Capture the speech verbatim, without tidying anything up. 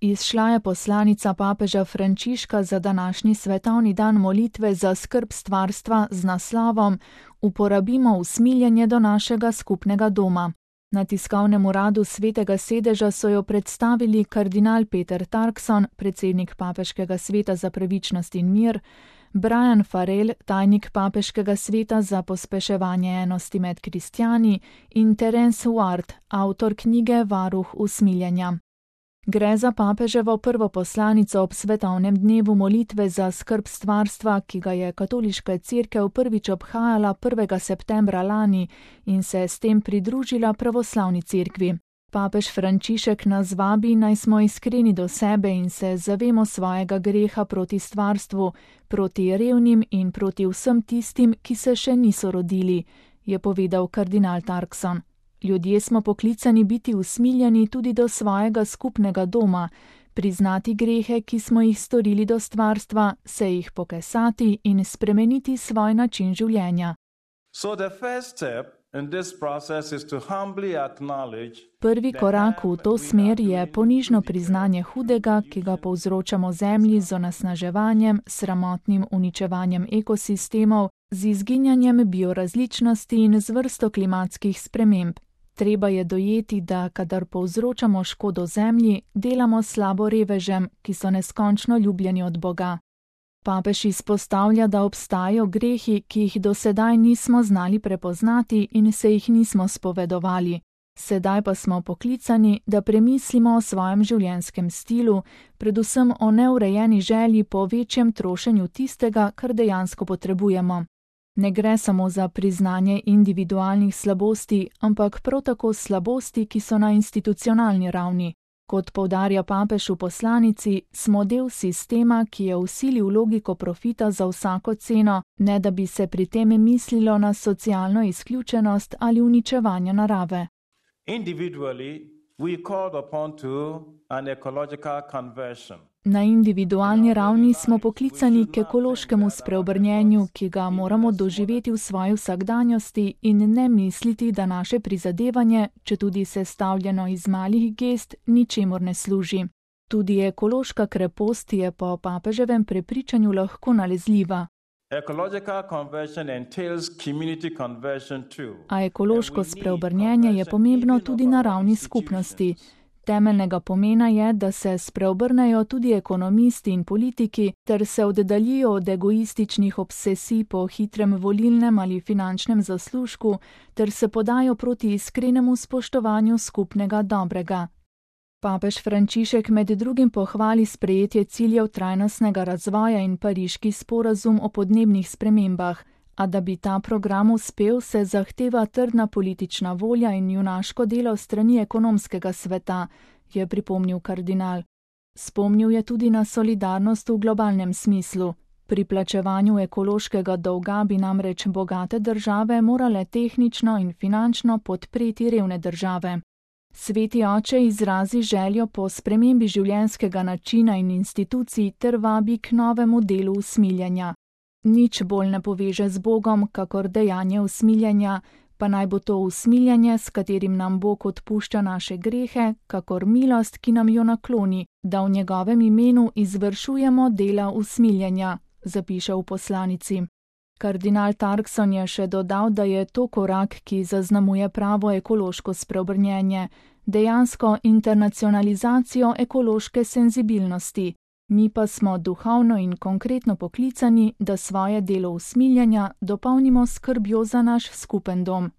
Izšla je poslanica papeža Frančiška za današnji svetovni dan molitve za skrb stvarstva z naslovom Uporabimo usmiljenje do našega skupnega doma. Na tiskovnem uradu Svetega sedeža so jo predstavili kardinal Peter Turkson, predsednik Papeškega sveta za pravičnost in mir, Brian Farrell, tajnik Papeškega sveta za pospeševanje enosti med kristjani, in Terence Ward, avtor knjige Varuh usmiljenja. Gre za papeževo prvo poslanico ob svetovnem dnevu molitve za skrb stvarstva, ki ga je katoliška cerkev prvič obhajala prvega septembra lani in se s tem pridružila pravoslavni cerkvi. Papež Frančišek nas vabi, naj smo iskreni do sebe in se zavemo svojega greha proti stvarstvu, proti revnim in proti vsem tistim, ki se še niso rodili, je povedal kardinal Turkson. Ljudje smo poklicani biti usmiljeni tudi do svojega skupnega doma, priznati grehe, ki smo jih storili do stvarstva, se jih pokesati in spremeniti svoj način življenja. So the first step in this process is to humbly acknowledge Prvi korak v to smer je ponižno priznanje hudega, ki ga povzročamo zemlji z onesnaževanjem, sramotnim uničevanjem ekosistemov, z izginjanjem biorazličnosti in z vrsto klimatskih sprememb. Treba je dojeti, da kadar povzročamo škodo zemlji, delamo slabo revežem, ki so neskončno ljubljeni od Boga. Papež izpostavlja, da obstajajo grehi, ki jih do sedaj nismo znali prepoznati in se jih nismo spovedovali. Sedaj pa smo poklicani, da premislimo o svojem življenjskem stilu, predvsem o neurejeni želji po večjem trošenju tistega, kar dejansko potrebujemo. Ne gre samo za priznanje individualnih slabosti, ampak prav tako slabosti, ki so na institucionalni ravni. Kot poudarja papež v poslanici, smo del sistema, ki je vsilil logiko profita za vsako ceno, ne da bi se pri tem mislilo na socialno izključenost ali uničevanje narave. Na individualni ravni smo poklicani k ekološkemu spreobrnjenju, ki ga moramo doživeti v svoji vsakdanjosti in ne misliti, da naše prizadevanje, četudi sestavljeno iz malih gest, ničemur ne služi. Tudi ekološka krepost je po papeževem prepričanju lahko nalezljiva. A ekološko spreobrnjenje je pomembno tudi na ravni skupnosti. Temeljnega pomena je, da se spreobrnejo tudi ekonomisti in politiki ter se oddaljijo od egoističnih obsesij po hitrem volilnem ali finančnem zaslužku ter se podajo proti iskrenemu spoštovanju skupnega dobrega. Papež Frančišek med drugim pohvali sprejetje ciljev trajnostnega razvoja in pariški sporazum o podnebnih spremembah, a da bi ta program uspel, se zahteva trdna politična volja in junaško delo strani ekonomskega sveta, je pripomnil kardinal. Spomnil je tudi na solidarnost v globalnem smislu. Pri plačevanju ekološkega dolga bi namreč bogate države morale tehnično in finančno podpreti revne države. Sveti oče izrazi željo po spremembi življenjskega načina in institucij ter vabi k novemu delu usmiljenja. Nič bolj ne poveže z Bogom, kakor dejanje usmiljenja, pa naj bo to usmiljenje, s katerim nam Bog odpušča naše grehe, kakor milost, ki nam jo nakloni, da v njegovem imenu izvršujemo dela usmiljenja, zapiše v poslanici. Kardinal Turkson je še dodal, da je to korak, ki zaznamuje pravo ekološko spreobrnjenje, dejansko internacionalizacijo ekološke senzibilnosti. Mi pa smo duhovno in konkretno poklicani, da svoje delo usmiljenja dopolnimo skrbjo za naš skupen dom.